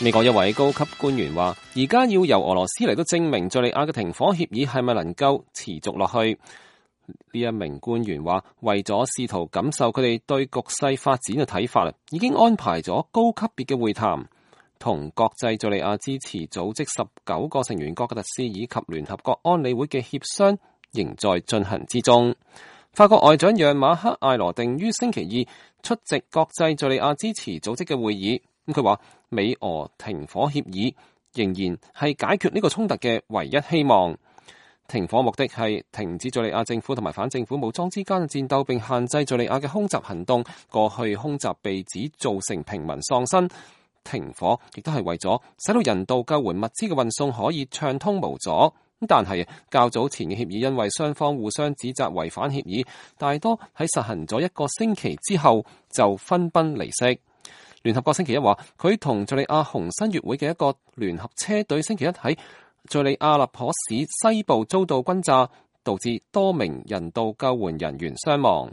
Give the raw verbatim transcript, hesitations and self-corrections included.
美國一位高級官員話，而家要由俄羅斯嚟到證明敘利亞嘅停火協議係咪能夠持續落去。呢一名官員話，為咗試圖感受佢哋對局勢發展嘅睇法，已經安排咗高級別嘅會談，同國際敘利亞支持組織十九個成員國嘅特使以及聯合國安理會嘅協商仍在進行之中。法國外長讓馬克艾羅定於星期二出席國際敘利亞支持組織嘅會議。咁佢話，美俄停火協議仍然係解決呢個衝突嘅唯一希望。停火目的係停止敘利亞政府同埋反政府武裝之間嘅戰鬥，並限制敘利亞嘅空襲行動。過去空襲被指造成平民喪生，停火亦都係為咗使到人道救援物資嘅運送可以暢通無阻。但係較早前嘅協議因為雙方互相指責違反協議，大多喺實行咗一個星期之後就分崩離析。聯合國星期一話，佢同敘利亞紅新月會嘅一個聯合車隊星期一喺敘利亞阿勒頗市西部遭到轟炸，導致多名人道救援人員傷亡。